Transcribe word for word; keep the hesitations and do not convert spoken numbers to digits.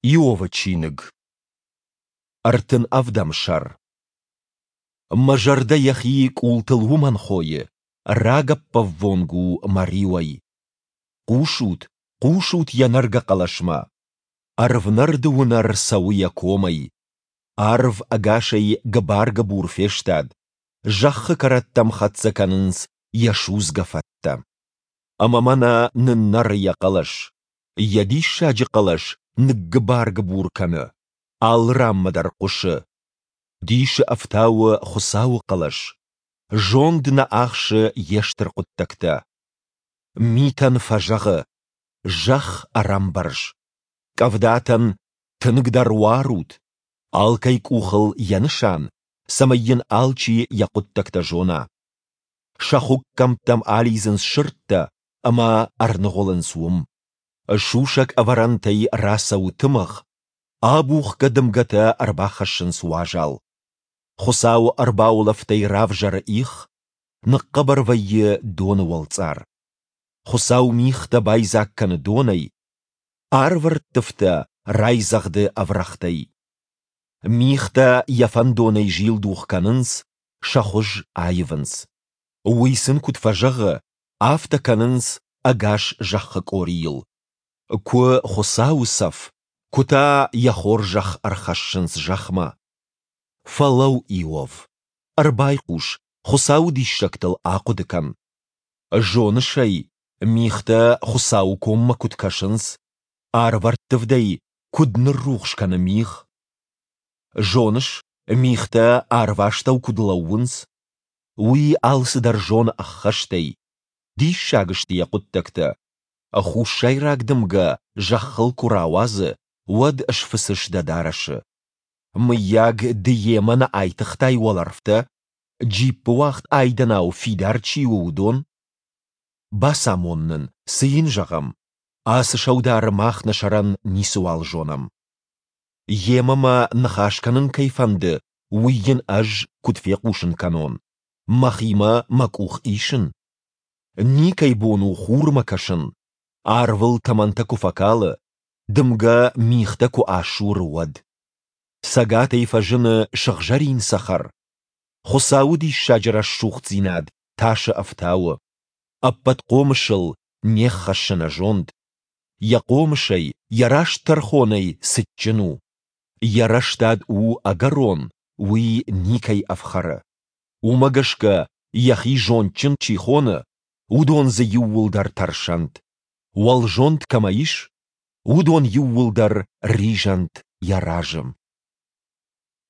Иовы чиныг, ӕртын ӕвдӕм сӕр. Мӕ зӕрдӕ йӕхи къултыл уымӕн хойы, рагӕппӕввонг у мӕ риуӕй. Хъусут, хъусут йӕ нӕргӕ хъӕлӕсмӕ! Ӕрвнӕрды уынӕр цӕуы йӕ комӕй. Арв ӕгасӕй гыбар-гыбур фестад, зӕххы кӕрӕттӕм хӕццӕ кӕнынц йӕ судзгӕ фӕттӕ. Ӕмӕ мӕнӕ ныннӕры йӕ хъӕлӕс. Йӕ диссаджы хъӕлӕс ныггыбар-гыбур кӕны, алы ранмӕ дӕр хъуысы. Дисы ӕфтауы Хуыцауы хъӕлӕс, зонд нӕ ахсы йе стыр хъуыддӕгтӕ. Митӕн фӕзӕгъы: «Зӕхх ӕрӕмбӕрз». Къӕвдатӕн: «Тынгдӕр уарут». Алкӕй къухыл йӕ нысан, цӕмӕй йын алчи йӕ хъуыддӕгтӕ зона. Сӕ хуыккӕмттӕм алидзынц сырдтӕ ӕмӕ ӕрныгъуылынц уым. Сусӕг ӕвӕрӕнтӕй рацӕуы тымыгъ, абухгӕ дымгӕтӕ ӕрбахӕссынц уазал. Хуыцауы ӕрбаулӕфтӕй равзӕры их, ныхъхъӕбӕр вӕййы доны уӕлцъар. Хуыцау мигътӕ байдзаг кӕны донӕй, арвӕрттывтӕ райдзӕгъды ӕврӕгътӕй. Мигътӕ йӕ фӕндонӕй зилдух кӕнынц, сӕ хуыз аивынц. Уый сын куыд фӕзӕгъы, афтӕ кӕнынц ӕгас зӕххы къорийыл. Куы Хуыцауы цӕф, куы та йӕ хорзӕх ӕрхӕссынц зӕхмӕ. Фӕлӕуу, Иов, ӕрбайхъус, Хуыцауы диссӕгтыл ахъуыды кӕн. Зоныс ӕй, мигътӕ Хуыцауы коммӕ куыд кӕсынц, арвӕрттывдӕй куыд ныррухс кӕны мигъ? Зоныс, мигътӕ арвастӕу куыд лӕууынц? Уый алцыдӕр зоны ӕххӕстӕй, диссаг сты йӕ хъуыддӕгтӕ. Хуссайраг дымгӕ зӕххыл куы рауадзы, уӕд сфыцыс дӕ дарӕсы. Мыййаг, ды йемӕ нӕ айтыгътай уӕлӕрвтӕ, джиппыуагъд айдӕнау фидар чи у, уыдон? Бацамон нын, цы йын зӕгъӕм? Ацы сӕудары мах нӕ сӕрӕн ницыуал зонӕм. Йемӕ мӕ ныхас кӕнын кӕй фӕнды, уый йын ӕз куыд фехъусын кӕнон? Мӕхимӕ мӕ къух исын? Никӕй бон у хурмӕ кӕсын, арвыл тӕмӕнтӕ куы фӕкалы, дымгӕ мигътӕ куы асуры, уӕд. Цӕгатӕй фӕзыны сыгъзӕрин цӕхӕр. Хуыцауы диссаджы рӕсугъддзинад тасы ӕфтауы. Ӕппӕт хъомысыл не ххӕссы нӕ зонд. Йӕ хъомысӕй, йӕ раст тӕрхонӕй цытджын у. Йӕ рӕстад у ӕгӕрон, уый никӕй ӕфхӕры. Уымӕ гӕсгӕ, йӕхи зондджын чи хоны, уыдон дзы иууылдӕр тӕрсӕнт. Уӕлзонд кӕмӕ ис, уыдон иууылдӕр ризӕнт йӕ разы.